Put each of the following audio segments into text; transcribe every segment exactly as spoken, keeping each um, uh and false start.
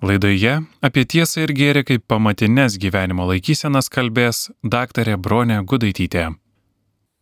Laidoje apie tiesą ir gėrį kaip pamatines gyvenimo laikysenas kalbės daktarė Bronė Gudaitytė.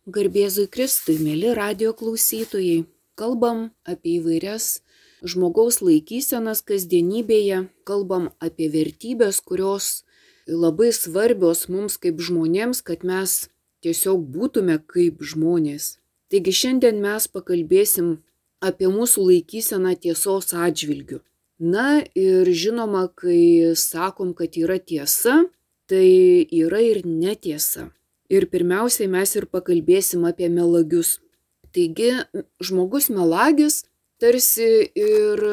Garbėzui Kristui, mėly radijo klausytojai, kalbam apie įvairias žmogaus laikysenas kasdienybėje, kalbam apie vertybės, kurios labai svarbios mums kaip žmonėms, kad mes tiesiog būtume kaip žmonės. Taigi šiandien mes pakalbėsim apie mūsų laikyseną tiesos atžvilgiu. Na ir žinoma, kai sakom, kad yra tiesa, tai yra ir netiesa. Ir pirmiausiai mes ir pakalbėsim apie melagius. Taigi žmogus melagis tarsi ir,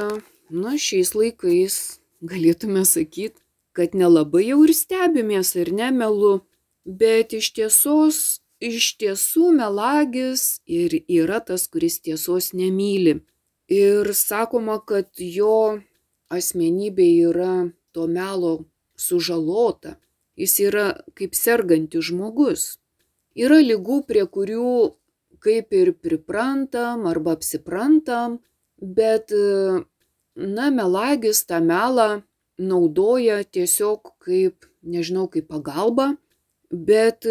na, šiais laikais galėtume sakyti, kad nelabai jau ir stebimės ar ne melu, bet iš tiesos, iš tiesų melagis ir yra tas, kuris tiesos nemyli. Ir sakoma, kad jo asmenybė yra to melo sužalota. Jis yra kaip sergantis žmogus. Yra ligų, prie kurių kaip ir priprantam arba apsiprantam, bet, na, melagis tą melą naudoja tiesiog kaip, nežinau, kaip pagalbą, bet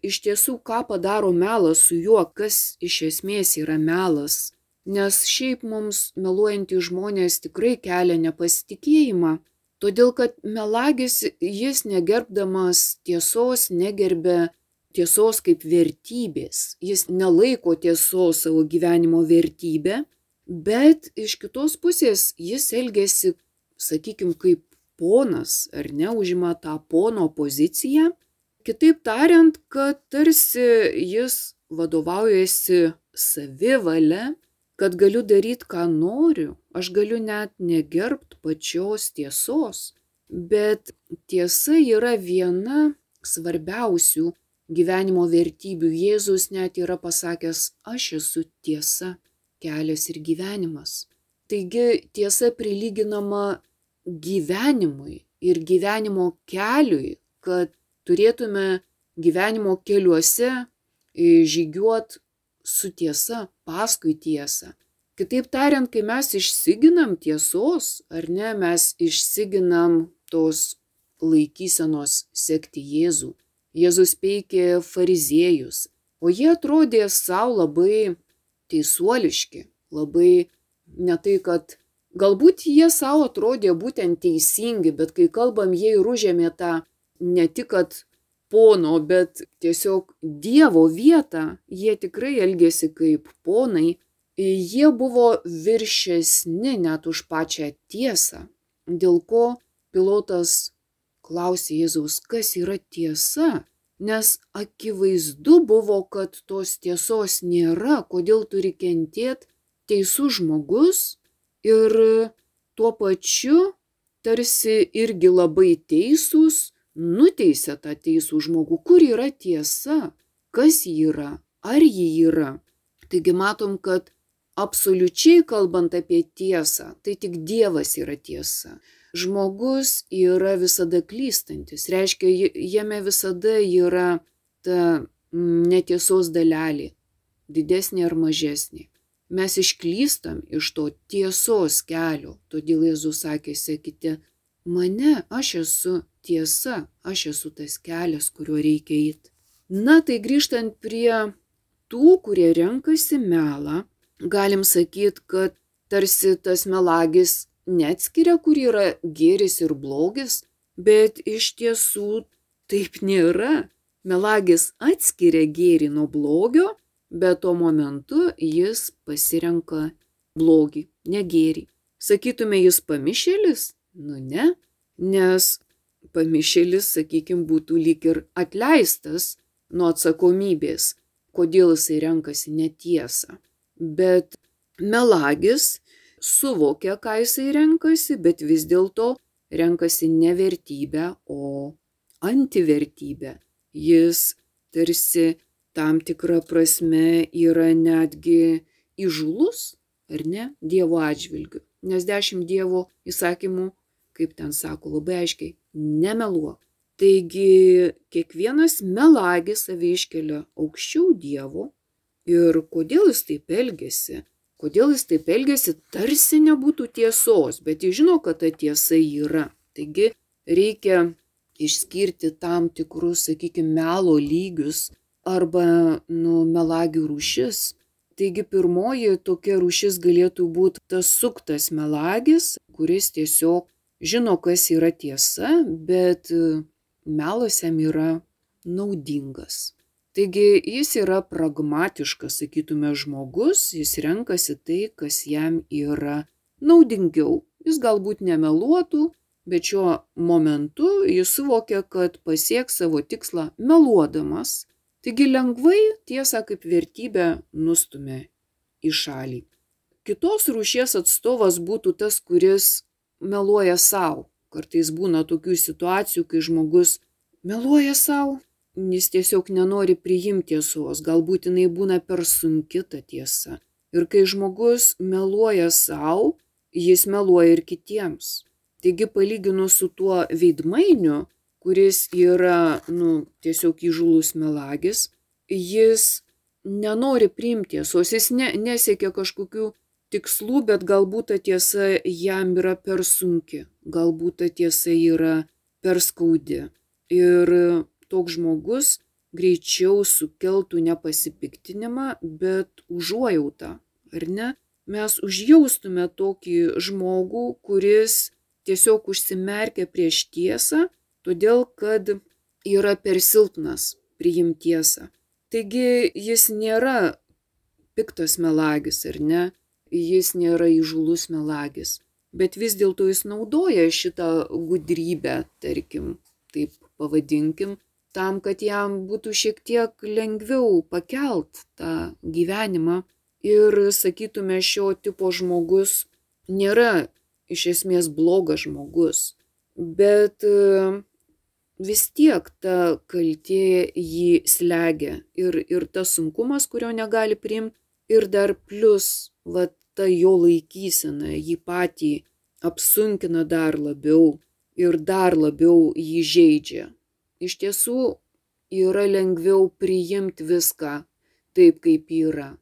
iš tiesų, ką padaro melas su juo, kas iš esmės yra melas. Nes šiaip mums meluojantys žmonės tikrai kelia nepasitikėjimą, todėl kad melagis, jis negerbdamas tiesos, negerbia tiesos kaip vertybės. Jis nelaiko tiesos savo gyvenimo vertybę, bet iš kitos pusės jis elgiasi, sakykime, kaip ponas, ar ne, užima tą pono poziciją. Kitaip tariant, kad tarsi jis vadovaujasi savivalia, kad galiu daryti, ką noriu, aš galiu net negerbt pačios tiesos, bet tiesa yra viena svarbiausių gyvenimo vertybių. Jėzus net yra pasakęs, aš esu tiesa, kelias ir gyvenimas. Taigi tiesa prilyginama gyvenimui ir gyvenimo keliui, kad turėtume gyvenimo keliuose žygiuot su tiesa, paskui tiesą. Kitaip tariant, kai mes išsiginam tiesos, ar ne, mes išsiginam tos laikysenos sekti Jėzų. Jėzus peikė fariziejus, o jie atrodė savo labai teisuoliški, labai ne tai, kad galbūt jie savo atrodė būtent teisingi, bet kai kalbam, jie ir užėmė tą ne tik, kad pono, bet tiesiog Dievo vietą, jie tikrai elgėsi kaip ponai, jie buvo viršesni net už pačią tiesą, dėl ko Pilotas klausė Jėzaus, kas yra tiesa, nes akivaizdu buvo, kad tos tiesos nėra, kodėl turi kentėti teisus žmogus ir tuo pačiu tarsi irgi labai teisūs, nuteisė tą teisų žmogų, kur yra tiesa, kas ji yra, ar ji yra. Taigi matom, kad absoliučiai kalbant apie tiesą, tai tik Dievas yra tiesa. Žmogus yra visada klystantis, reiškia, jame visada yra ta netiesos dalelė, didesnė ar mažesnė. Mes išklystam iš to tiesos kelio, todėl Jėzus sakė, sekite mane, aš esu tiesa, aš esu tas kelias, kuriuo reikia eiti. Na, tai grįžtant prie tų, kurie renkasi melą, galim sakyti, kad tarsi tas melagis neatskiria, kur yra gėris ir blogis, bet iš tiesų taip nėra. Melagis atskiria gėrį nuo blogio, bet tuo momentu jis pasirenka blogį, ne gėrį. Sakytume, jis pamišėlis? Nu ne, nes pamišėlis, sakykime, būtų lyg ir atleistas nuo atsakomybės, kodėl jisai renkasi netiesą. Bet melagis suvokia, ką jisai renkasi, bet vis dėlto renkasi ne vertybę, o antivertybę. Jis tarsi tam tikra prasme yra netgi įžūlus, ar ne, Dievo atžvilgiu. Nes dešimt Dievo įsakymų, kaip ten sako labai aiškiai, nemeluok. Taigi kiekvienas melagis save iškelia aukščiau Dievo ir kodėl jis taip elgiasi, Kodėl jis taip elgiasi, tarsi nebūtų tiesos, bet jis žino, kad ta tiesa yra. Taigi reikia išskirti tam tikrus, sakykime, melo lygius arba nu, melagių rūšis. Taigi pirmoji tokia rūšis galėtų būti tas suktas melagis, kuris tiesiog žino, kas yra tiesa, bet melas jam yra naudingas. Taigi jis yra pragmatiškas, sakytume, žmogus, jis renkasi tai, kas jam yra naudingiau. Jis galbūt nemeluotų, bet šiuo momentu jis suvokia, kad pasieks savo tikslą meluodamas. Taigi lengvai tiesą kaip vertybę nustumia į šalį. Kitos rūšies atstovas būtų tas, kuris meluoja savo. Kartais būna tokių situacijų, kai žmogus meluoja savo, jis tiesiog nenori priimti tiesos, galbūt jinai būna per sunki ta tiesa. Ir kai žmogus meluoja savo, jis meluoja ir kitiems. Taigi palyginus su tuo veidmainiu, kuris yra nu, tiesiog įžūlus melagis, jis nenori priimti tiesos, jis ne, nesiekia kažkokių tikslų, bet galbūt ta tiesa jam yra per sunki, galbūt ta tiesa yra per skaudi. Ir toks žmogus greičiau sukeltų ne pasipiktinimą, bet užuojautą, ar ne? Mes užjaustume tokį žmogų, kuris tiesiog užsimerkia prieš tiesą, todėl kad yra per silpnas priimti tiesą. Taigi jis nėra piktas melagis, ar ne? Jis nėra įžūlus melagis. Bet vis dėlto jis naudoja šitą gudrybę, tarkim, taip pavadinkim, tam, kad jam būtų šiek tiek lengviau pakelt tą gyvenimą. Ir sakytume, šio tipo žmogus nėra iš esmės blogas žmogus, bet vis tiek ta kaltė jį slegia ir, ir tas sunkumas, kurio negali priimti, ir dar plus va, ta jo laikysena jį patį apsunkina dar labiau ir dar labiau jį žeidžia. Iš tiesų yra lengviau priimti viską taip, kaip yra.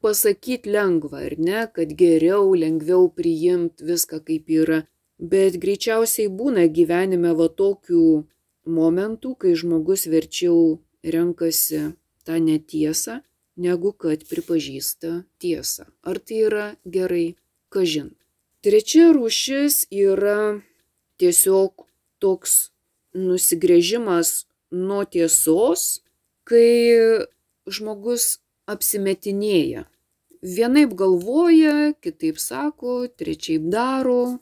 Pasakyti lengva, ar ne, kad geriau, lengviau priimti viską, kaip yra, bet greičiausiai būna gyvenime va tokių momentų, kai žmogus verčiau renkasi tą netiesą, negu kad pripažįsta tiesą. Ar tai yra gerai? Kažin. Trečia rūšis yra tiesiog toks nusigręžimas nuo tiesos, kai žmogus apsimetinėja. Vienaip galvoja, kitaip sako, trečiaip daro.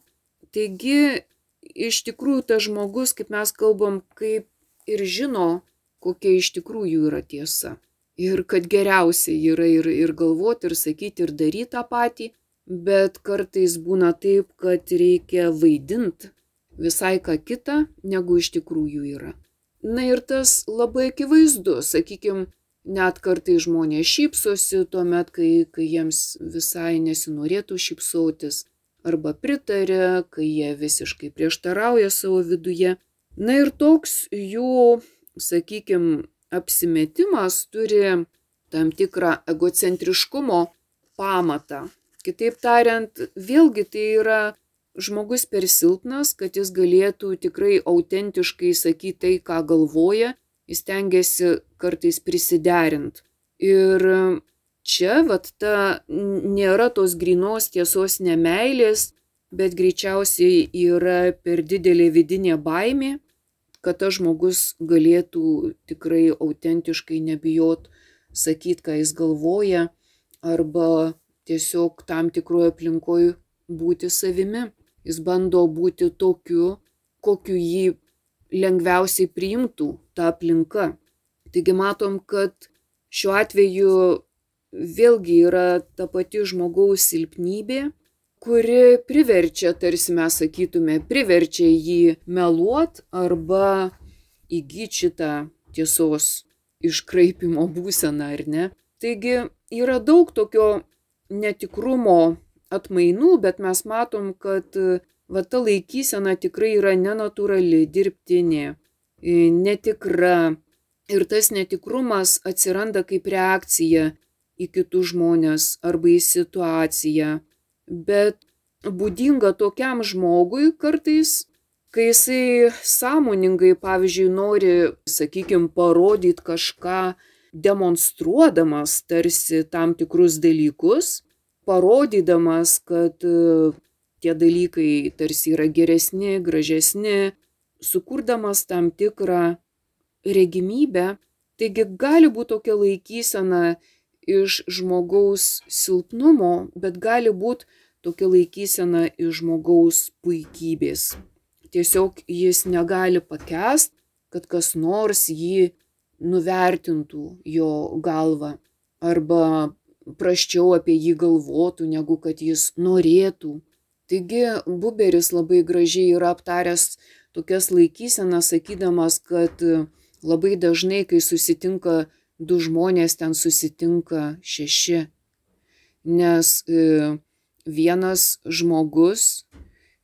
Taigi, iš tikrųjų tas žmogus, kaip mes kalbam, kaip ir žino, kokia iš tikrųjų yra tiesa. Ir kad geriausia yra ir, ir galvoti, ir sakyti, ir daryti tą patį, bet kartais būna taip, kad reikia vaidinti visai ką kitą, negu iš tikrųjų yra. Na ir tas labai akivaizdu, sakykime, net kartais žmonės šypsosi tuomet, kai, kai jiems visai nesinorėtų šypsotis, arba pritarė, kai jie visiškai prieštarauja savo viduje. Na ir toks jų, sakykime, apsimetimas turi tam tikrą egocentriškumo pamatą. Kitaip tariant, vėlgi tai yra žmogus per silpnas, kad jis galėtų tikrai autentiškai sakyti tai, ką galvoja, jis tengiasi kartais prisiderinti. Ir čia vat ta nėra tos grynos tiesos nemeilės, bet greičiausiai yra per didelė vidinė baimė, kad tas žmogus galėtų tikrai autentiškai nebijot sakyti, ką jis galvoja, arba tiesiog tam tikroje aplinkoje būti savimi. Jis bando būti tokiu, kokiu jį lengviausiai priimtų ta aplinka. Taigi matom, kad šiuo atveju vėlgi yra ta pati žmogaus silpnybė, kuri priverčia, tarsi mes sakytume, priverčia jį meluot arba įgyti šitą tiesos iškraipimo būseną, ar ne? Taigi yra daug tokio netikrumo atmainų, bet mes matom, kad va, ta laikysena tikrai yra nenatūrali, dirbtinė, netikra. Ir tas netikrumas atsiranda kaip reakcija į kitus žmonės arba į situaciją, bet būdinga tokiam žmogui kartais, kai jisai sąmoningai, pavyzdžiui, nori, sakykime, parodyti kažką, demonstruodamas tarsi tam tikrus dalykus, parodydamas, kad tie dalykai tarsi yra geresni, gražesni, sukurdamas tam tikrą regimybę. Taigi gali būti tokia laikysena iš žmogaus silpnumo, bet gali būti tokia laikysena iš žmogaus puikybės. Tiesiog jis negali pakęsti, kad kas nors jį nuvertintų jo galvą arba prasčiau apie jį galvotų, negu kad jis norėtų. Taigi Buberis labai gražiai yra aptaręs tokias laikysenas, sakydamas, kad labai dažnai, kai susitinka du žmonės, ten susitinka šeši. Nes vienas žmogus,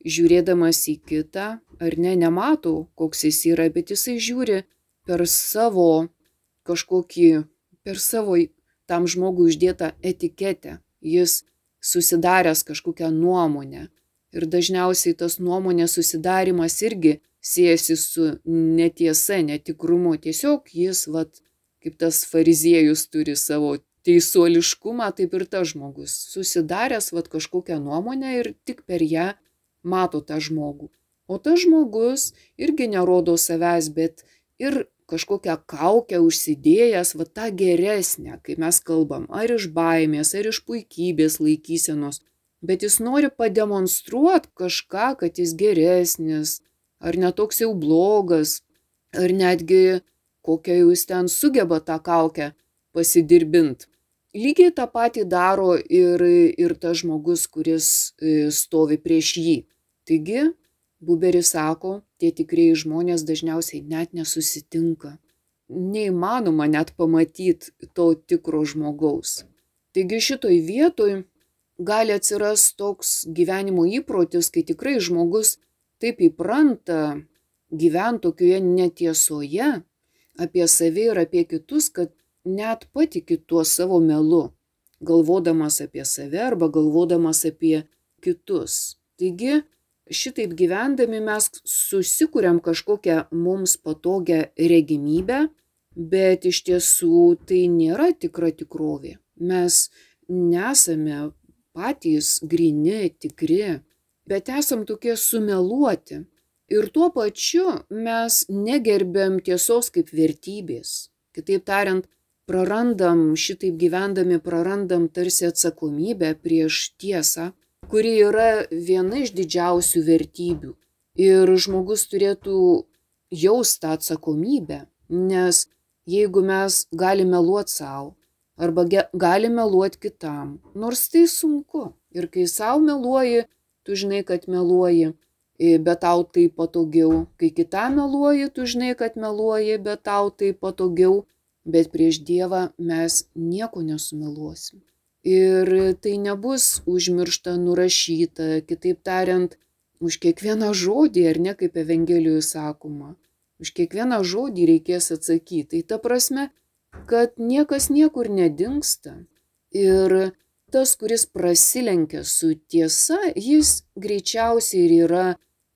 žiūrėdamas į kitą, ar ne, nemato, koks jis yra, bet jisai žiūri per savo kažkokį, per savo tam žmogui uždėtą etiketę. Jis susidaręs kažkokią nuomonę. Ir dažniausiai tas nuomonės susidarimas irgi siejasi su netiesa, netikrumu. Tiesiog jis, vat, kaip tas fariziejus turi savo teisuoliškumą, taip ir tas žmogus. Susidaręs vat, kažkokią nuomonę ir tik per ją mato tą žmogų. O tas žmogus irgi nerodo savęs, bet ir kažkokią kaukę užsidėjęs, va tą geresnę, kai mes kalbam, ar iš baimės, ar iš puikybės laikysenos, bet jis nori pademonstruoti kažką, kad jis geresnis, ar netoks jau blogas, ar netgi kokią jūs ten sugeba tą kaukę pasidirbint. Lygiai tą patį daro ir, ir tas žmogus, kuris stovi prieš jį. Taigi, Buberis sako, tie tikrieji žmonės dažniausiai net nesusitinka. Neįmanoma net pamatyti to tikro žmogaus. Taigi šitoj vietoj gali atsirasti toks gyvenimo įprotis, kai tikrai žmogus taip įpranta gyventi tokioje netiesoje apie save ir apie kitus, kad net patiki tuo savo melu, galvodamas apie save arba galvodamas apie kitus. Taigi, šitaip gyvendami mes susikuriam kažkokią mums patogią regimybę, bet iš tiesų tai nėra tikra tikrovė. Mes nesame patys gryni, tikri, bet esam tokie sumeluoti. Ir tuo pačiu mes negerbiam tiesos kaip vertybės. Kitaip tariant, prarandam, šitaip gyvendami prarandam tarsi atsakomybę prieš tiesą, kuri yra viena iš didžiausių vertybių. Ir žmogus turėtų jausti tą atsakomybę, nes jeigu mes galime meluoti savo, arba galime meluoti kitam, nors tai sunku. Ir kai savo meluoji, tu žinai, kad meluoji, bet tau tai patogiau. Kai kitam meluoji, tu žinai, kad meluoji, bet tau tai patogiau. Bet prieš Dievą mes nieko nesumeluosim. Ir tai nebus užmiršta, nurašyta, kitaip tariant, už kiekvieną žodį, ar ne, kaip Evangelijoje sakoma, už kiekvieną žodį reikės atsakyti. Tai ta prasme, kad niekas niekur nedingsta. Ir tas, kuris prasilenkia su tiesa, jis greičiausiai ir yra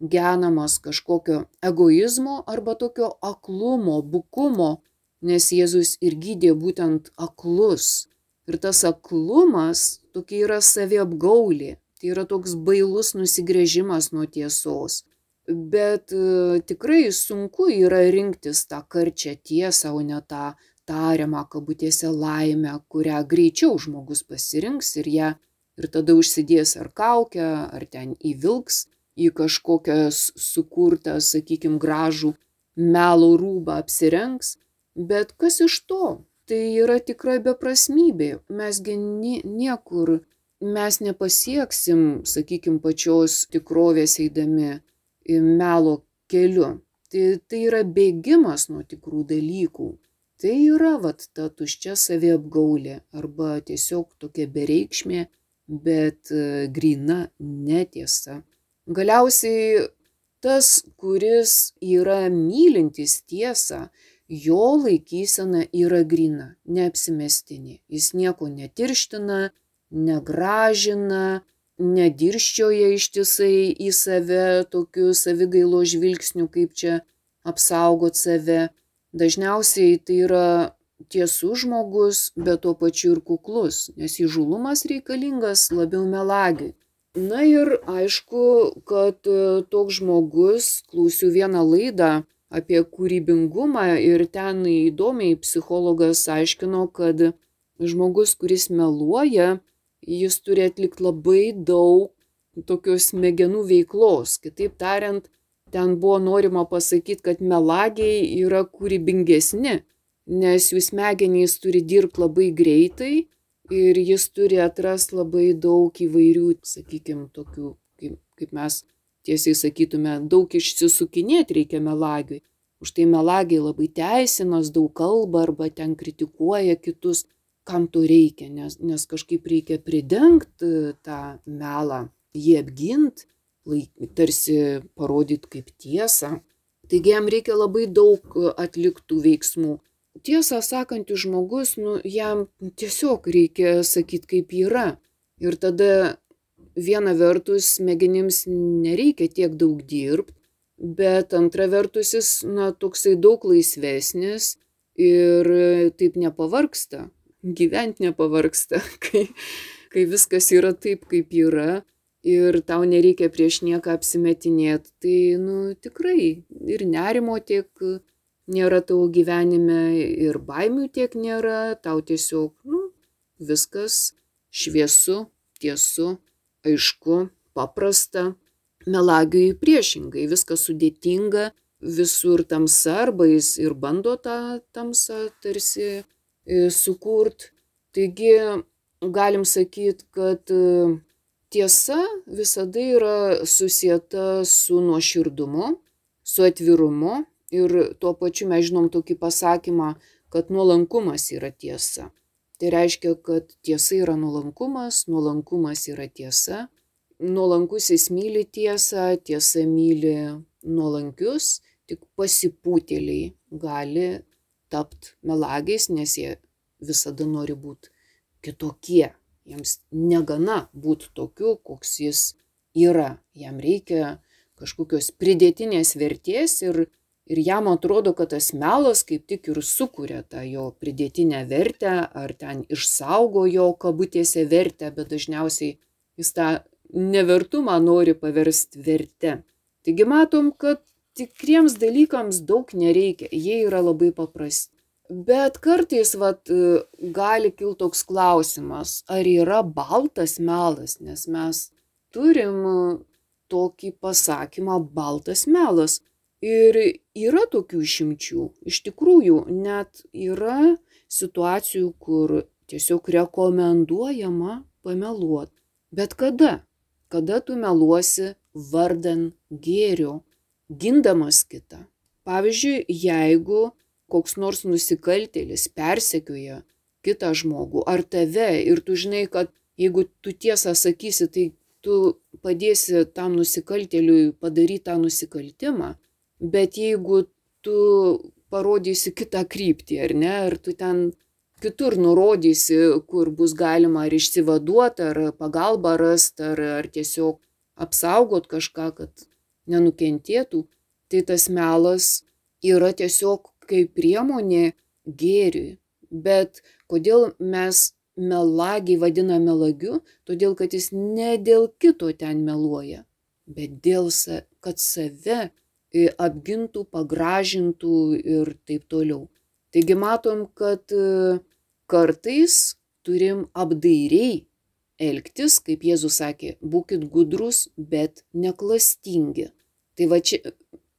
genamas kažkokio egoizmo arba tokio aklumo, bukumo, nes Jėzus ir gydė būtent aklus. Ir tas aklumas tokia yra saviapgaulė, tai yra toks bailus nusigręžimas nuo tiesos. Bet e, tikrai sunku yra rinktis tą karčią tiesą, o ne tą tariamą kabutėse laimę, kurią greičiau žmogus pasirinks ir ją ir tada užsidės ar kaukę, ar ten įvilks į kažkokią sukurtą, sakykime, gražų melo rūbą apsirengs. Bet kas iš to? Tai yra tikra beprasmybė. Mesgi niekur, mes nepasieksim, sakykime, pačios tikrovės eidami melo keliu. Tai, tai yra bėgimas nuo tikrų dalykų. Tai yra vat ta tuščia saviapgaulė arba tiesiog tokia bereikšmė, bet gryna netiesa. Galiausiai tas, kuris yra mylintis tiesą, jo laikysena yra gryna, neapsimestinė. Jis nieko netirština, negražina, nedirščioja ištisai į save tokiu savigailo žvilgsniu, kaip čia apsaugot save. Dažniausiai tai yra tiesus žmogus, bet tuo pačiu ir kuklus, nes įžūlumas reikalingas labiau melagiui. Na ir aišku, kad toks žmogus, klausiu vieną laidą apie kūrybingumą ir ten įdomiai psichologas aiškino, kad žmogus, kuris meluoja, jis turi atlikti labai daug tokios smegenų veiklos. Kitaip tariant, ten buvo norima pasakyti, kad melagiai yra kūrybingesni, nes jų smegenys turi dirbti labai greitai ir jis turi atrasti labai daug įvairių, sakykime, tokių, kaip, kaip mes tiesiai sakytume, daug išsisukinėti reikia melagiui. Už tai melagiai labai teisinas, daug kalba arba ten kritikuoja kitus, kam to reikia, nes, nes kažkaip reikia pridengti tą melą, jį apginti, tarsi parodyti kaip tiesą. Taigi jam reikia labai daug atliktų veiksmų. Tiesą sakantis žmogus, nu, jam tiesiog reikia sakyti, kaip yra. Ir tada viena vertus smegenims nereikia tiek daug dirbti, bet antra vertus jis, na, toksai daug laisvesnis ir taip nepavargsta, gyventi nepavargsta, kai, kai viskas yra taip, kaip yra ir tau nereikia prieš nieką apsimetinėti. Tai, nu, tikrai ir nerimo tiek nėra tavo gyvenime ir baimių tiek nėra, tau tiesiog, nu, viskas šviesu, tiesu, aišku, paprasta. Melagiui priešingai, viskas sudėtinga, visur tamsa, arba jis ir bando tą tamsą tarsi sukurt. Taigi galim sakyti, kad tiesa visada yra susieta su nuoširdumu, su atvirumu ir tuo pačiu mes žinom tokį pasakymą, kad nuolankumas yra tiesa. Tai reiškia, kad tiesa yra nuolankumas, nuolankumas yra tiesa. Nuolankusis myli tiesą, tiesa myli nuolankius, tik pasipūtėliai gali tapti melagiais, nes jie visada nori būti kitokie. Jiems negana būti tokiu, koks jis yra. Jam reikia kažkokios pridėtinės vertės ir, ir jam atrodo, kad tas melas kaip tik ir sukuria tą jo pridėtinę vertę, ar ten išsaugo jo kabutėse vertę, bet dažniausiai jis tą nevertumą nori paversti verte. Taigi matom, kad tikriems dalykams daug nereikia, jie yra labai paprasti. Bet kartais vat, gali kilti toks klausimas, ar yra baltas melas, nes mes turim tokį pasakymą baltas melas. Ir yra tokių išimčių. Iš tikrųjų, net yra situacijų, kur tiesiog rekomenduojama pameluoti. Bet kada? Kada tu meluosi vardan gėrio, gindamas kitą. Pavyzdžiui, jeigu koks nors nusikaltėlis persekioja kitą žmogų ar tave ir tu žinai, kad jeigu tu tiesą sakysi, tai tu padėsi tam nusikaltėliui padaryti tą nusikaltimą, bet jeigu tu parodysi kitą kryptį, ar ne, ar tu ten kitur nurodysi, kur bus galima ar išsivaduoti, ar pagalbą rasti, ar, ar tiesiog apsaugot kažką, kad nenukentėtų, tai tas melas yra tiesiog kaip priemonė gėriui. Bet kodėl mes melagį vadina melagiu? Todėl, kad jis ne dėl kito ten meluoja, bet dėl, kad save apgintų, pagražintų ir taip toliau. Taigi matom, kad kartais turim apdairiai elgtis, kaip Jėzus sakė, būkit gudrus, bet neklastingi. Tai va čia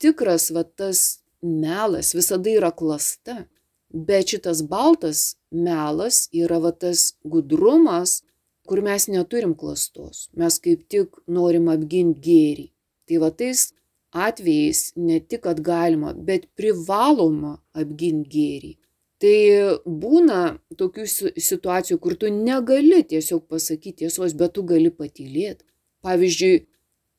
tikras va tas melas visada yra klasta, bet šitas baltas melas yra va tas gudrumas, kur mes neturim klastos. Mes kaip tik norim apginti gėrį. Tai va tais atvejais ne tik, kad galima, bet privaloma apginti gėrį. Tai būna tokių situacijų, kur tu negali tiesiog pasakyti tiesos, bet tu gali patylėti. Pavyzdžiui,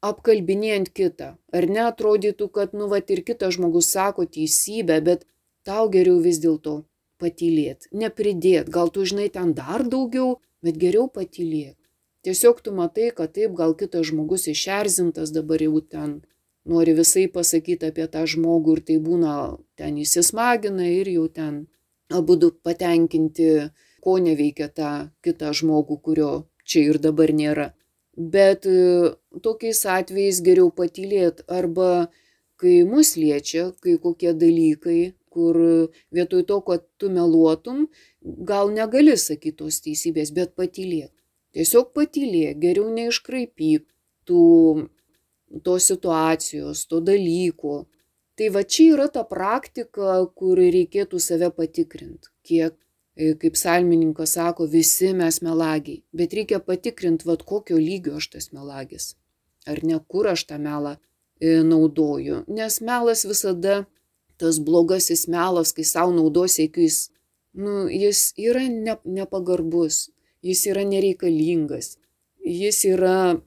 apkalbinėjant kitą. Ar neatrodytų, kad, nu, vat ir kitas žmogus sako teisybę, bet tau geriau vis dėlto patylėt, nepridėt, gal tu žinai ten dar daugiau, bet geriau patylėt. Tiesiog tu matai, kad taip, gal kitas žmogus išerzintas dabar jau ten nori visai pasakyti apie tą žmogų ir tai būna ten įsismagina ir jau ten abudu patenkinti, ko neveikia tą kitą žmogų, kurio čia ir dabar nėra. Bet tokiais atvejais geriau patylėt arba kai mus liečia, kai kokie dalykai, kur vietoj to, kad tu meluotum, gal negali sakyti tos teisybės, bet patylėk. Tiesiog patylėk, geriau neiškraipyk tų, tos situacijos, to dalyko. Tai va čia yra ta praktika, kur reikėtų save patikrinti, kiek, kaip psalmininkas sako, visi mes melagiai, bet reikia patikrinti, va kokio lygio aš tas melagis, ar ne kur aš tą melą naudoju, nes melas visada, tas blogasis melas, kai savo naudos siekiais, nu, jis yra ne, nepagarbus, jis yra nereikalingas, jis yra,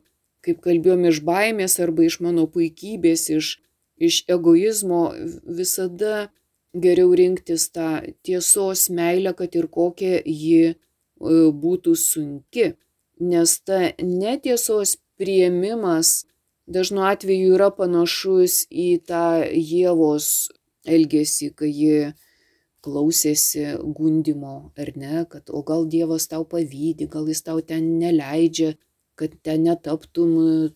kaip kalbėjom, iš baimės arba iš mano puikybės, iš, iš egoizmo, visada geriau rinktis tą tiesos meilę, kad ir kokia ji būtų sunki, nes ta netiesos priėmimas dažnu atveju yra panašus į tą Ievos elgesį, kai ji klausėsi gundymo, ar ne, kad o gal Dievas tau pavydi, gal jis tau ten neleidžia, kad ten netaptum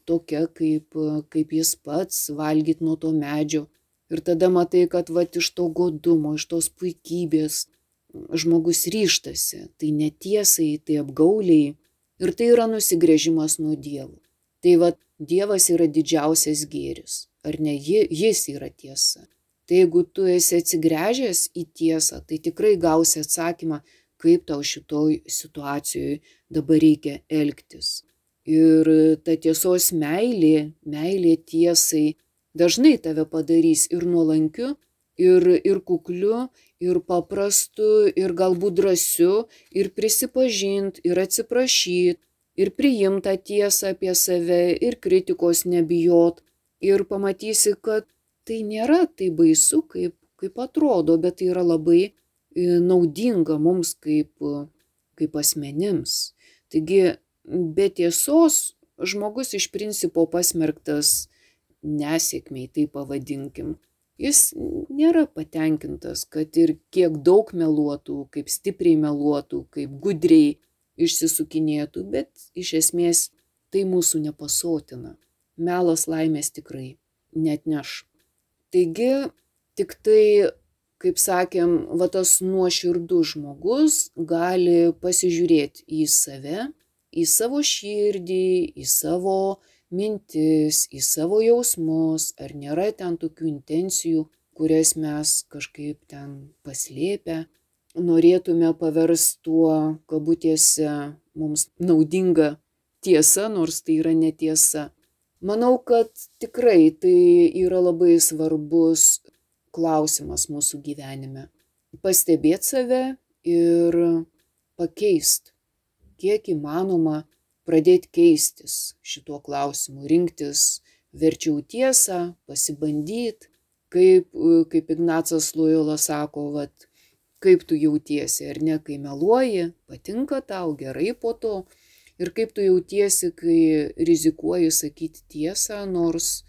tokia, kaip, kaip jis pats, valgyt nuo to medžio. Ir tada matai, kad vat iš to godumo, iš tos puikybės žmogus ryžtasi, tai netiesai, tai apgauliai, ir tai yra nusigręžimas nuo Dievo. Tai vat Dievas yra didžiausias gėris, ar ne, jis yra tiesa. Tai jeigu tu esi atsigręžęs į tiesą, tai tikrai gausi atsakymą, kaip tau šitoj situacijoje dabar reikia elgtis. Ir ta tiesos meilė, meilė tiesai dažnai tave padarys ir nuolankiu, ir, ir kukliu, ir paprastu, ir galbūt drąsiu, ir prisipažint, ir atsiprašyt, ir priimt tą tiesą apie save, ir kritikos nebijot, ir pamatysi, kad tai nėra tai baisu, kaip, kaip atrodo, bet tai yra labai naudinga mums kaip, kaip asmenims. Taigi, be tiesos žmogus iš principo pasmerktas nesėkmiai, tai pavadinkim. Jis nėra patenkintas, kad ir kiek daug meluotų, kaip stipriai meluotų, kaip gudriai išsisukinėtų, bet iš esmės tai mūsų nepasotina. Melas laimės tikrai neatneš. Taigi, tik tai, kaip sakėm, va tas nuoširdus žmogus gali pasižiūrėti į save, į savo širdį, į savo mintis, į savo jausmus, ar nėra ten tokių intencijų, kurias mes kažkaip ten paslėpę, norėtume paversti tuo, kabutėse, mums naudinga tiesa, nors tai yra netiesa. Manau, kad tikrai tai yra labai svarbus klausimas mūsų gyvenime. Pastebėti save ir pakeisti, kiek įmanoma pradėti keistis šituo klausimu, rinktis verčiau tiesą, pasibandyti, kaip, kaip Ignacas Lojola sako, vat, kaip tu jautiesi, ar ne, kai meluoji, patinka tau, gerai po to, ir kaip tu jautiesi, kai rizikuoji sakyti tiesą, nors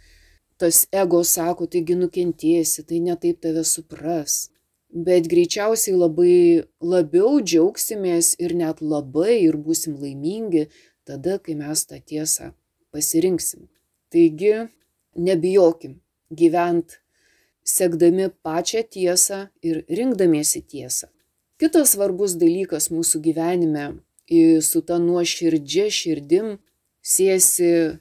tas ego sako, taigi nukentėsi, tai netaip tave supras. Bet greičiausiai labai labiau džiaugsimės ir net labai ir būsim laimingi tada, kai mes tą tiesą pasirinksim. Taigi, nebijokim gyvent sekdami pačią tiesą ir rinkdamiesi tiesą. Kitas svarbus dalykas mūsų gyvenime su ta nuoširdžia širdim siejasi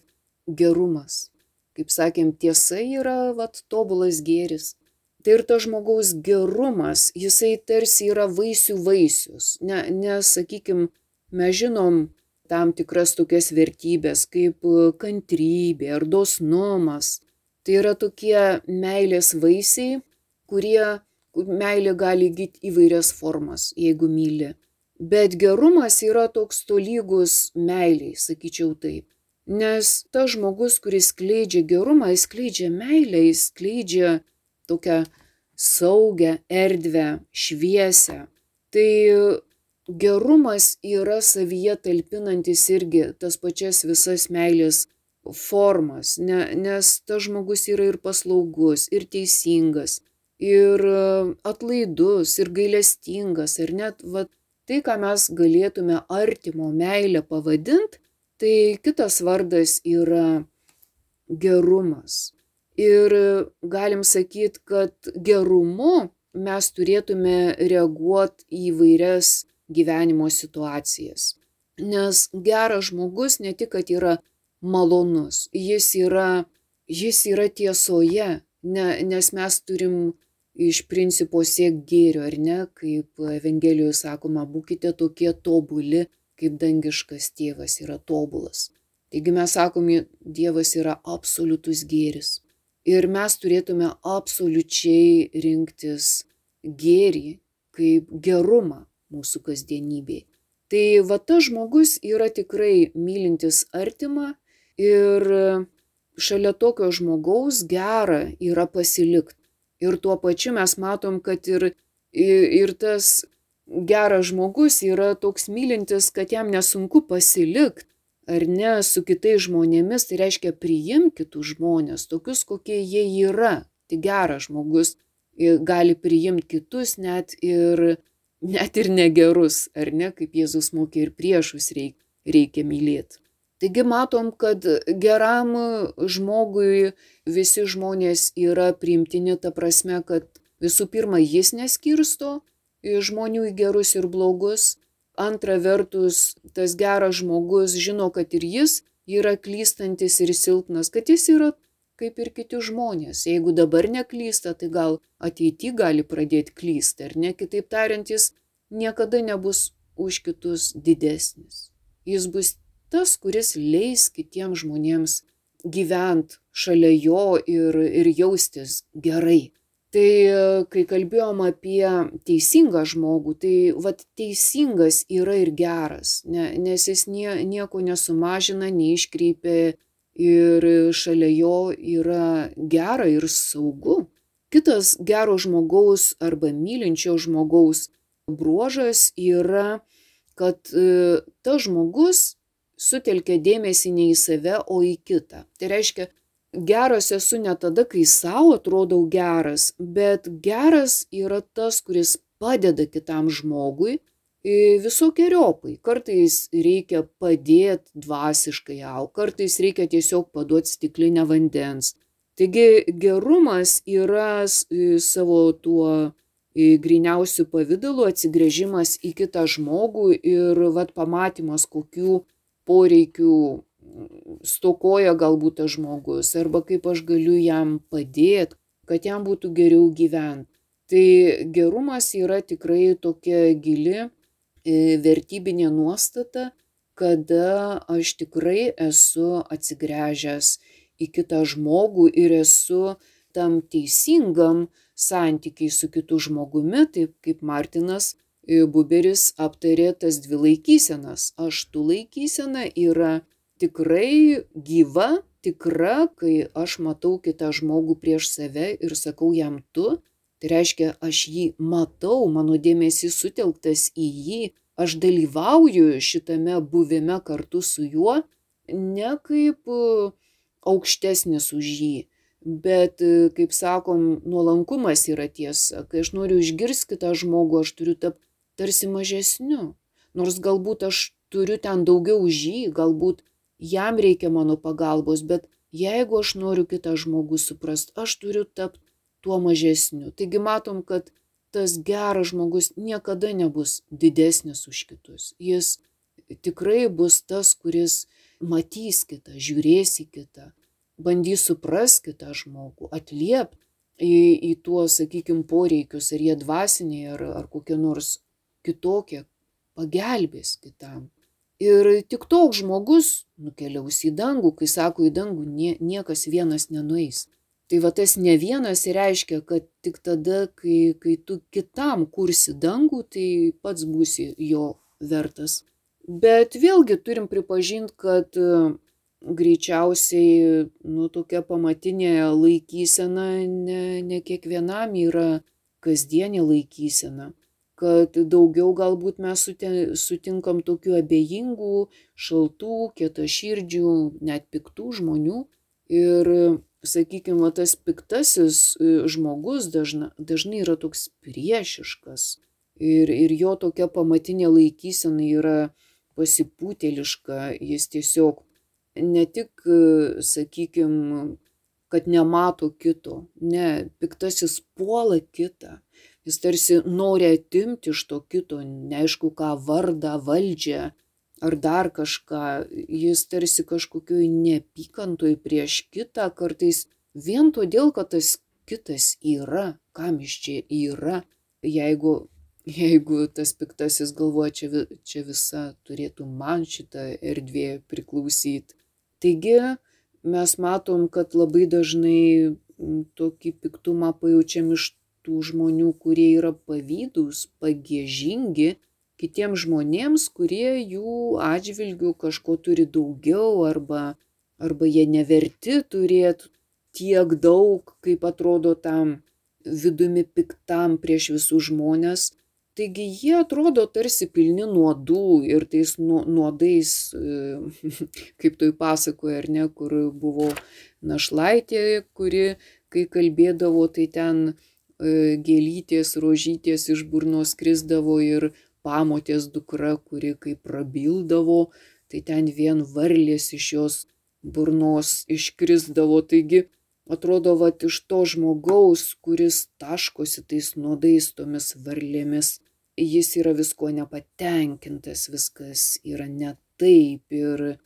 gerumas. Kaip sakėm, tiesa yra vat, tobulas gėris. Tai ir tas žmogaus gerumas, jisai tarsi yra vaisių vaisius. Ne, nes, sakykim, mes žinom tam tikras tokias vertybės kaip kantrybė ar dosnumas. Tai yra tokie meilės vaisiai, kurie meilė gali įgyti įvairias formas, jeigu myli. Bet gerumas yra toks tolygus meiliai, sakyčiau taip. Nes tas žmogus, kuris skleidžia gerumą, jis skleidžia meilę, jis skleidžia tokią saugią erdvę, šviesę. Tai gerumas yra savyje talpinantis irgi tas pačias visas meilės formas, ne, nes tas žmogus yra ir paslaugus, ir teisingas, ir atlaidus, ir gailestingas, ir net va, tai, ką mes galėtume artimo meilę pavadinti, tai kitas vardas yra gerumas. Ir galim sakyti, kad gerumu mes turėtume reaguoti į įvairias gyvenimo situacijas. Nes geras žmogus ne tik, kad yra malonus, jis yra, jis yra tiesoje, ne, nes mes turim iš principo siekti gėrio, ar ne, kaip Evangelijoje sakoma, būkite tokie tobuli, kaip dangiškas tėvas yra tobulas. Taigi mes sakome, Dievas yra absoliutus gėris. Ir mes turėtume absoliučiai rinktis gėrį kaip gerumą mūsų kasdienybėje. Tai va tas žmogus yra tikrai mylintis artimą ir šalia tokio žmogaus gera yra pasilikti. Ir tuo pačiu mes matom, kad ir, ir tas geras žmogus yra toks mylintis, kad jam nesunku pasilikti, ar ne, su kitais žmonėmis, tai reiškia priimti kitus žmonės, tokius, kokie jie yra. Tai geras žmogus gali priimti kitus net ir, net ir negerus, ar ne, kaip Jėzus mokė, ir priešus reikia, reikia mylėti. Taigi matom, kad geram žmogui visi žmonės yra priimtini ta prasme, kad visų pirma jis neskirsto žmonių į gerus ir blogus. Antra vertus, tas geras žmogus žino, kad ir jis yra klystantis ir silpnas, kad jis yra kaip ir kiti žmonės. Jeigu dabar neklysta, tai gal ateity gali pradėti klysti, ar ne? Kitaip tariant, jis niekada nebus už kitus didesnis. Jis bus tas, kuris leis kitiems žmonėms gyventi šalia jo ir, ir jaustis gerai. Tai kai kalbėjom apie teisingą žmogų, tai vat teisingas yra ir geras, ne, nes jis nie, nieko nesumažina, neiškreipia ir šalia jo yra gera ir saugu. Kitas gero žmogaus arba mylinčio žmogaus bruožas yra, kad e, tas žmogus sutelkia dėmesį ne į save, o į kitą. Tai reiškia, geras esu ne tada, kai savo atrodau geras, bet geras yra tas, kuris padeda kitam žmogui visokiojopai. Kartais reikia padėti dvasiškai augti, kartais reikia tiesiog paduoti stiklinę vandens. Taigi gerumas yra savo tuo gryniausių pavidalu atsigręžimas į kitą žmogų ir vat pamatymas, kokių poreikių stokoja galbūt tas žmogus, arba kaip aš galiu jam padėti, kad jam būtų geriau gyventi. Tai gerumas yra tikrai tokia gili vertybinė nuostata, kada aš tikrai esu atsigręžęs į kitą žmogų ir esu tam teisingam santykiai su kitu žmogumi, taip kaip Martinas Buberis aptarė tas dvi laikysenas. Aš tu laikysena yra tikrai gyva, tikra, kai aš matau kitą žmogų prieš save ir sakau jam tu. Tai reiškia, aš jį matau, mano dėmesys sutelktas į jį, aš dalyvauju šitame buvime kartu su juo, ne kaip aukštesnis už jį, bet, kaip sakom, nuolankumas yra tiesa. Kai aš noriu išgirsti kitą žmogų, aš turiu tapti tarsi mažesniu, nors galbūt aš turiu ten daugiau už jį, galbūt jam reikia mano pagalbos, bet jeigu aš noriu kitą žmogų suprasti, aš turiu tapti tuo mažesniu. Taigi matom, kad tas geras žmogus niekada nebus didesnis už kitus. Jis tikrai bus tas, kuris matys kitą, žiūrės į kitą, bandys suprasti kitą žmogų, atliepti į, į tuos, sakykime, poreikius, ar jie dvasiniai, ar, ar kokie nors kitokie, pagelbės kitam. Ir tik toks žmogus nukeliaus į dangų, kai sako į dangų, nie, niekas vienas nenueis. Tai va tas ne vienas reiškia, kad tik tada, kai, kai tu kitam kursi dangų, tai pats būsi jo vertas. Bet vėlgi turim pripažinti, kad greičiausiai, nu, tokia pamatinė laikysena ne, ne kiekvienam yra kasdienė laikysena, kad daugiau galbūt mes sutinkam tokių abejingų, šaltų, kietaširdžių, net piktų žmonių. Ir, sakykime, tas piktasis žmogus dažna, dažnai yra toks priešiškas. Ir, ir jo tokia pamatinė laikysena yra pasipūtėliška, jis tiesiog ne tik, sakykime, kad nemato kito, ne, piktasis puola kitą, jis tarsi nori atimti iš to kito, neaišku ką, vardą, valdžią ar dar kažką, jis tarsi kažkokioj neapykantoj prieš kitą, kartais vien todėl, kad tas kitas yra, kam jis čia yra, jeigu Jeigu tas piktasis galvoja, čia, čia visa turėtų man šitą erdvę priklausyti. Taigi mes matom, kad labai dažnai tokį piktumą pajaučiam iš tų žmonių, kurie yra pavydūs, pagiežingi kitiems žmonėms, kurie jų atžvilgių kažko turi daugiau arba, arba jie neverti turėti tiek daug, kaip atrodo tam vidumi piktam prieš visus žmonės. Taigi jie atrodo tarsi pilni nuodų ir tais nuodais, kaip toj pasakoje, ar ne, kur buvo našlaitė, kuri, kai kalbėdavo, tai ten gėlytės, rožytės iš burnos krisdavo ir pamotės dukra, kuri kai prabildavo, tai ten vien varlės iš jos burnos iškrisdavo. Taigi atrodo, vat iš to žmogaus, kuris taškosi tais nuodais, tomis varlėmis, jis yra visko nepatenkintas, viskas yra ne taip ir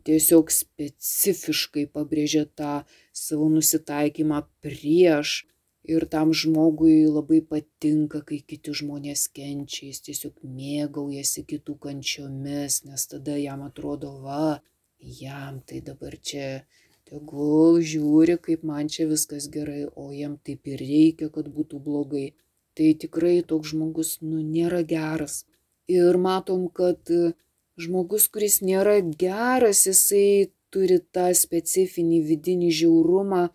tiesiog specifiškai pabrėžia tą savo nusitaikymą prieš. Ir tam žmogui labai patinka, kai kiti žmonės kenčia, jis tiesiog mėgaujasi kitų kančiomis, nes tada jam atrodo, va, jam tai dabar čia tegul žiūri, kaip man čia viskas gerai, o jam taip ir reikia, kad būtų blogai. Tai tikrai toks žmogus, nu, nėra geras. Ir matom, kad žmogus, kuris nėra geras, jisai turi tą specifinį vidinį žiaurumą,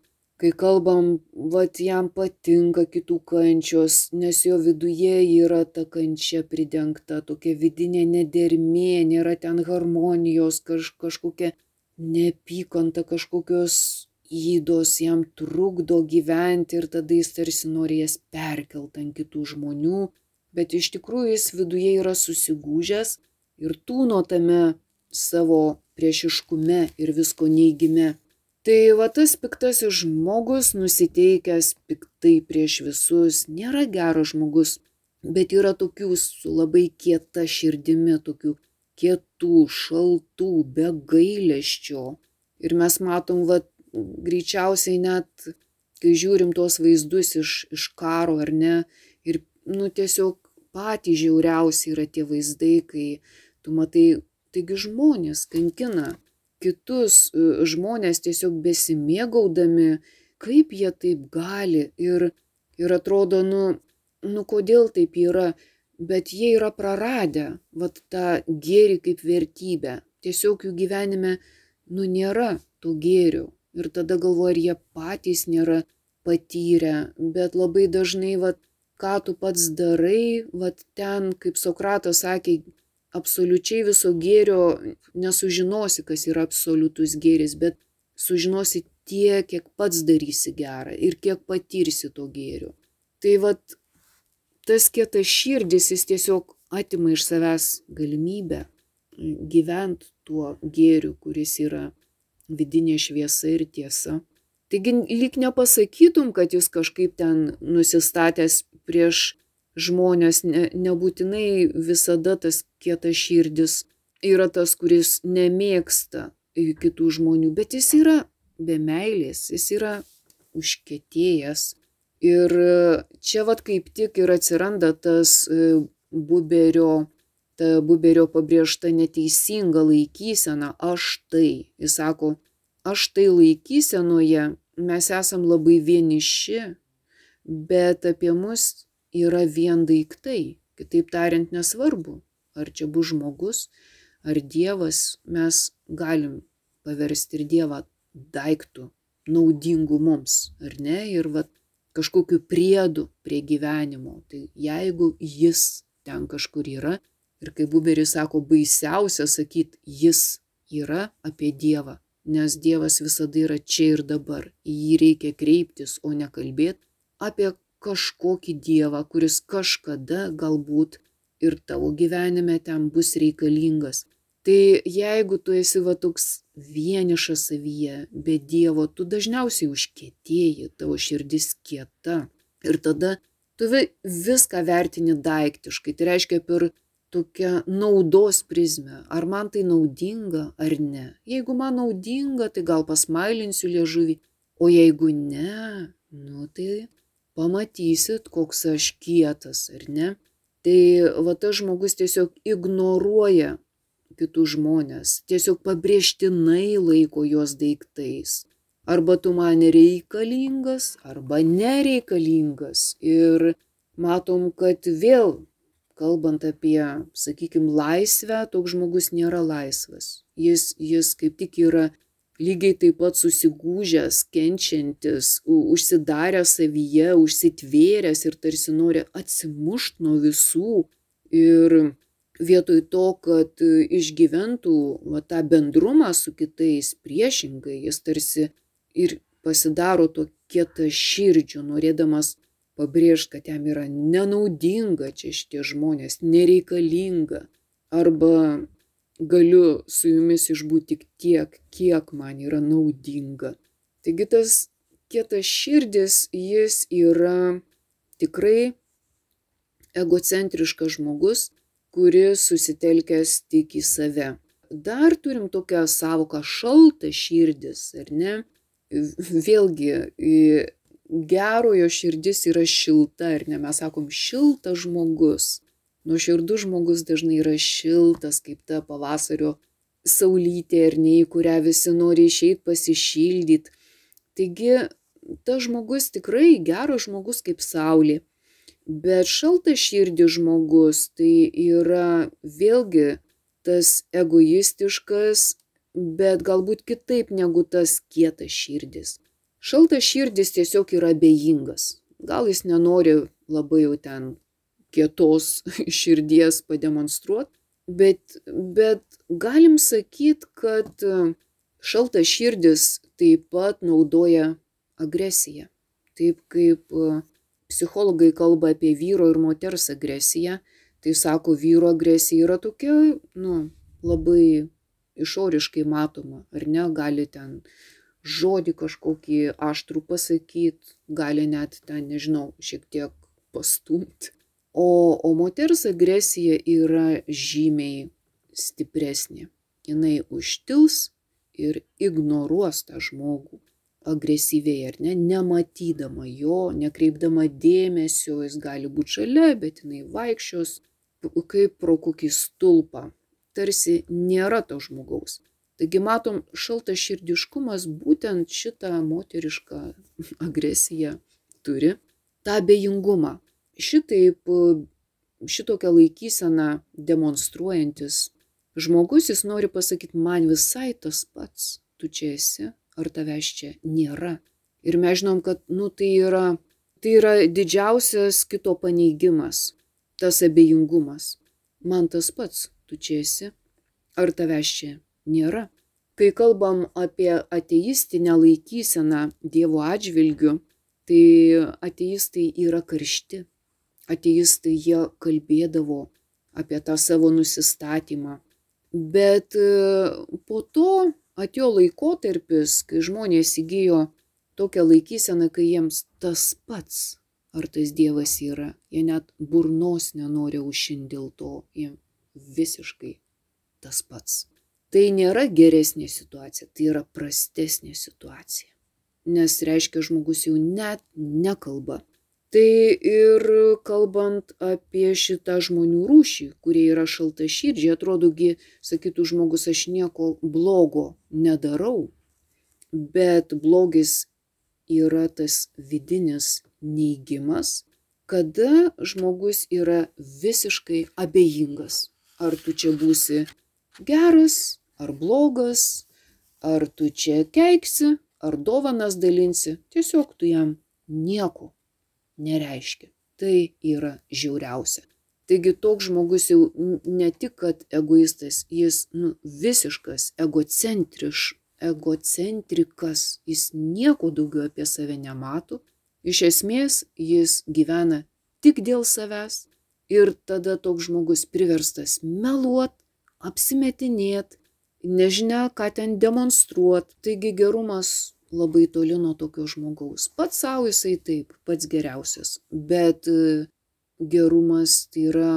kai kalbam, vat jam patinka kitų kančios, nes jo viduje yra ta kančia pridengta, tokia vidinė nedermė, nėra ten harmonijos, kaž, kažkokia neapykanta, kažkokios ydos jam trukdo gyventi ir tada jis tarsi nori jas perkelt ant kitų žmonių, bet iš tikrųjų jis viduje yra susigūžęs ir tūno tame savo priešiškume ir visko neigime. Tai va tas piktasis žmogus, nusiteikęs piktai prieš visus, nėra geras žmogus, bet yra tokių su labai kieta širdimi, tokių kietų, šaltų, be gailesčio. Ir mes matom, va, greičiausiai net, kai žiūrim tuos vaizdus iš, iš karo, ar ne, ir, nu, tiesiog patys žiauriausi yra tie vaizdai, kai tu matai, taigi žmonės kankina kitus žmonės tiesiog besimėgaudami, kaip jie taip gali ir, ir atrodo, nu, nu, kodėl taip yra, bet jie yra praradę, vat tą gėrį kaip vertybę. Tiesiog jų gyvenime, nu, nėra to gėrio. Ir tada galvoju, ar jie patys nėra patyrę, bet labai dažnai, vat, ką tu pats darai, vat ten, kaip Sokratas sakė, absoliučiai viso gėrio nesužinosi, kas yra absoliutus gėris, bet sužinosi tiek, kiek pats darysi gerą ir kiek patirsi to gėrio. Tai vat tas kietas širdis, jis tiesiog atima iš savęs galimybę gyventi tuo gėriu, kuris yra vidinė šviesa ir tiesa. Taigi lyg nepasakytum, kad jis kažkaip ten nusistatęs prieš žmonės, ne, nebūtinai visada tas kietas širdis yra tas, kuris nemėgsta kitų žmonių, bet jis yra be meilės, jis yra užkietėjęs. Ir čia vat kaip tik ir atsiranda tas Buberio, ta Buberio pabrėžta neteisinga laikysena, aš tai. Jis sako, aš tai laikysenoje mes esam labai vieniši, bet apie mus yra vien daiktai. Kitaip tariant, nesvarbu, ar čia bus žmogus, ar Dievas, mes galim paversti ir Dievą daiktų, naudingų mums, ar ne? Ir va, kažkokiu priedu prie gyvenimo. Tai jeigu jis ten kažkur yra, ir kaip Buberis sako, baisiausia sakyti, jis yra apie Dievą, nes Dievas visada yra čia ir dabar. Į jį reikia kreiptis, o ne kalbėti apie kažkokį Dievą, kuris kažkada galbūt ir tavo gyvenime ten bus reikalingas. Tai jeigu tu esi va toks vienišas savyje, be Dievo, tu dažniausiai užkietėji, tavo širdis kieta. Ir tada tu viską vertini daiktiškai, tai reiškia per tokią naudos prizmę. Ar man tai naudinga, ar ne? Jeigu man naudinga, tai gal pasmailinsiu liežuvį, o jeigu ne, nu tai pamatysit, koks aš kietas, ar ne? Tai va tas žmogus tiesiog ignoruoja kitus žmonės, tiesiog pabrėžtinai laiko juos daiktais. Arba tu man reikalingas, arba nereikalingas. Ir matom, kad vėl, kalbant apie, sakykime, laisvę, toks žmogus nėra laisvas. Jis, jis kaip tik yra lygiai taip pat susigūžęs, kenčiantis, užsidaręs savyje, užsitvėręs ir tarsi nori atsimušti nuo visų. Ir vietoj to, kad išgyventų va, tą bendrumą su kitais priešingai, jis tarsi ir pasidaro to kietaširdžiu, norėdamas pabrėžti, kad jam yra nenaudinga čia šitie žmonės, nereikalinga. Arba galiu su jumis išbūti tik tiek, kiek man yra naudinga. Taigi tas kietaširdis, jis yra tikrai egocentriškas žmogus, kuris susitelkęs tik į save. Dar turim tokią savoką šaltas širdis, ar ne? Vėlgi, gerojo širdis yra šilta, ar ne? Mes sakom šiltas žmogus. Nuoširdus žmogus dažnai yra šiltas, kaip ta pavasario saulytė, ar ne, į kurią visi nori išeiti pasišildyti. Taigi, tas žmogus tikrai geras žmogus kaip saulė. Bet šaltas širdis žmogus tai yra vėlgi tas egoistiškas, bet galbūt kitaip negu tas kietas širdis. Šaltas širdis tiesiog yra abejingas. Gal jis nenori labai jau ten kietos širdies pademonstruoti, bet, bet galim sakyti, kad šaltas širdis taip pat naudoja agresiją. Taip kaip psichologai kalba apie vyro ir moters agresiją, tai sako, vyro agresija yra tokia, nu, labai išoriškai matoma, ar ne, gali ten žodį kažkokį aštrų pasakyti, gali net ten, nežinau, šiek tiek pastumti. O, o moters agresija yra žymiai stipresnė. Jinai užtils ir ignoruos tą žmogų agresyviai, ar ne, nematydama jo, nekreipdama dėmesio, jis gali būti šalia, bet jinai vaikščios kaip pro kokį stulpą, tarsi nėra to žmogaus. Taigi matom, šaltas širdiškumas būtent šitą moterišką agresiją turi, tą abejingumą. Šitaip, šitokią laikyseną demonstruojantis žmogus, jis nori pasakyti, man visai tas pats, tu čia esi, ar tavęs čia nėra. Ir mes žinom, kad nu, tai, yra, tai yra didžiausias kito paneigimas, tas abejingumas. Man tas pats, tu čia esi, ar tavęs čia nėra. Kai kalbam apie ateistinę laikyseną Dievo atžvilgiu, tai ateistai yra karšti. Ateistai jie kalbėdavo apie tą savo nusistatymą. Bet po to atėjo laikotarpis, kai žmonės įgijo tokią laikyseną, kai jiems tas pats, ar tas Dievas yra. Jie net burnos nenori aušinti dėl to, jie visiškai tas pats. Tai nėra geresnė situacija, tai yra prastesnė situacija. Nes reiškia, žmogus jau net nekalba. Tai ir kalbant apie šitą žmonių rūšį, kurie yra šaltaširdžiai, atrodogi, sakytų žmogus, aš nieko blogo nedarau, bet blogis yra tas vidinis neigimas, kada žmogus yra visiškai abejingas. Ar tu čia būsi geras, ar blogas, Ar tu čia keiksi, ar dovanas dalinsi, tiesiog tu jam nieko nereiškia. Tai yra žiauriausia. Taigi toks žmogus jau ne tik, kad egoistas, jis nu, visiškas egocentriš, egocentrikas, jis nieko daugiau apie save nemato. Iš esmės jis gyvena tik dėl savęs ir tada toks žmogus priverstas meluot, apsimetinėt, nežinia ką ten demonstruot. Taigi gerumas labai toli nuo tokio žmogaus. Pats savo jisai taip, pats geriausias. Bet gerumas tai yra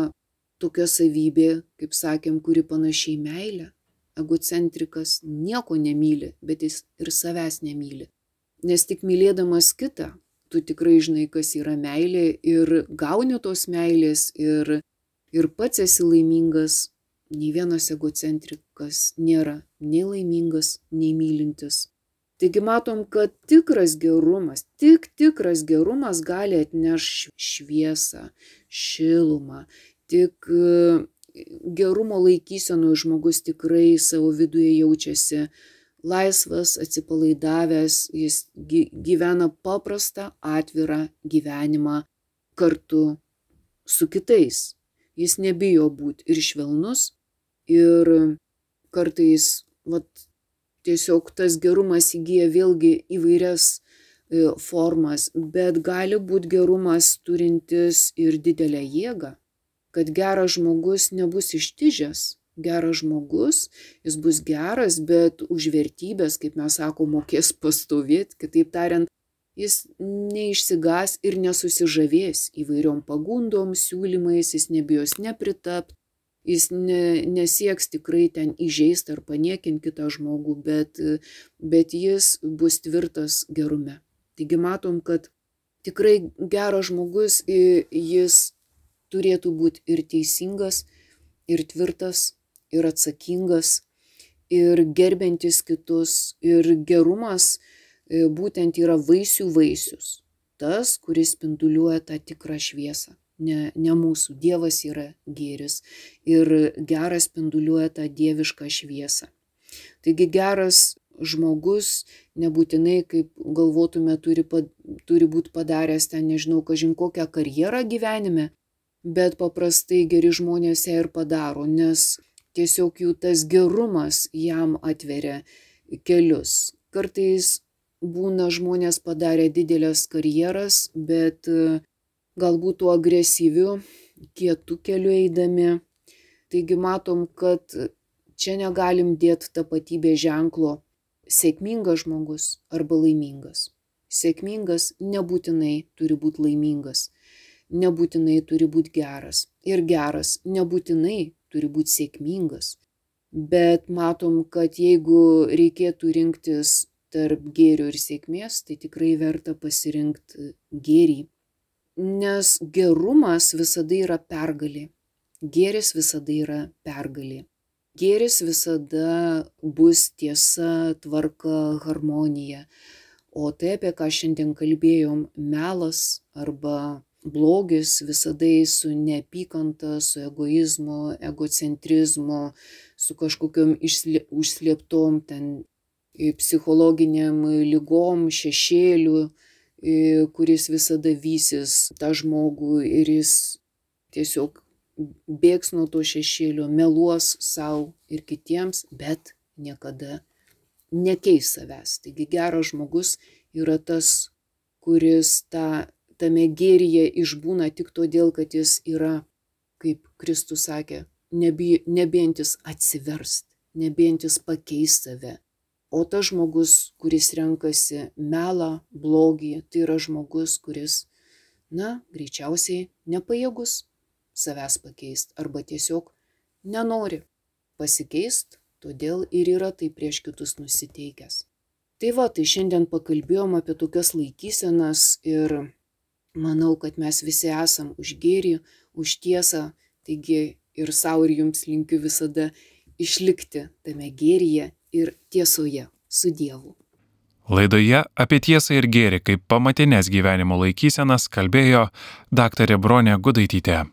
tokia savybė, kaip sakėm, kuri panašiai meilė. Egocentrikas nieko nemyli, bet jis ir savęs nemyli. Nes tik mylėdamas kitą, tu tikrai žinai, kas yra meilė ir gauni tos meilės ir, ir pats esi laimingas. Nei vienas egocentrikas nėra nei laimingas, nei mylintis. Taigi matom, kad tikras gerumas, tik tikras gerumas gali atnešti šviesą, šilumą. Tik gerumo laikysenoje žmogus tikrai savo viduje jaučiasi laisvas, atsipalaidavęs, jis gyvena paprastą, atvirą gyvenimą kartu su kitais. Jis nebijo būti ir švelnus, ir kartais vat, tiesiog tas gerumas įgyja vėlgi įvairias formas, bet gali būti gerumas turintis ir didelę jėgą, kad geras žmogus nebus ištižęs. Geras žmogus, jis bus geras, bet už vertybės, kaip mes sakom, mokės pastovėti, kitaip tariant, jis neišsigas ir nesusižavės įvairiom pagundom, siūlymais, jis nebijos nepritapti, jis ne, nesieks tikrai ten įžeisti ar paniekinti kitą žmogų, bet, bet jis bus tvirtas gerume. Taigi matom, kad tikrai geras žmogus, jis turėtų būti ir teisingas, ir tvirtas, ir atsakingas, ir gerbiantis kitus, ir gerumas būtent yra vaisių vaisius. Tas, kuris spinduliuoja tą tikrą šviesą. Ne, ne mūsų. Dievas yra gėris. Ir geras spinduliuoja tą dievišką šviesą. Taigi geras žmogus nebūtinai, kaip galvotume, turi, turi būti padaręs ten, nežinau, kažin kokią karjerą gyvenime, bet paprastai geri žmonės ją ir padaro, nes tiesiog jų tas gerumas jam atveria kelius. Kartais būna žmonės padarę didelės karjeras, bet galbūt tuo agresyviu, kietu keliu eidami. Taigi matom, kad čia negalim dėti tapatybės ženklo sėkmingas žmogus arba laimingas. Sėkmingas nebūtinai turi būti laimingas, nebūtinai turi būti geras. Ir geras nebūtinai turi būti sėkmingas. Bet matom, kad jeigu reikėtų rinktis tarp gėrio ir sėkmės, tai tikrai verta pasirinkti gėrį. Nes gerumas visada yra pergalė. Gėris visada yra pergalė. Gėris visada bus tiesa, tvarka, harmonija. O tai, apie ką šiandien kalbėjom, melas arba blogis visada su neapykanta, su egoizmu, egocentrizmu, su kažkokiom užslėptom ten psichologiniam lygom, šešėliu, kuris visada vysis tą žmogų ir jis tiesiog bėgs nuo to šešėlio, meluos savo ir kitiems, bet niekada nekeis savęs. Taigi geras žmogus yra tas, kuris tą, tame gėryje išbūna tik todėl, kad jis yra, kaip Kristus sakė, nebijantis atsiverst, nebijantis pakeisti save. O tas žmogus, kuris renkasi melą, blogį, tai yra žmogus, kuris, na, greičiausiai nepajėgus savęs pakeisti arba tiesiog nenori pasikeisti, todėl ir yra tai prieš kitus nusiteikęs. Tai va, tai šiandien pakalbėjom apie tokias laikysenas ir manau, kad mes visi esam už gėrį, už tiesą, taigi ir savo ir jums linkiu visada išlikti tame gėryje ir tiesoje su Dievu. Laidoje apie tiesą ir gėrį kaip pamatines gyvenimo laikysenas kalbėjo daktarė Bronė Gudaitytė.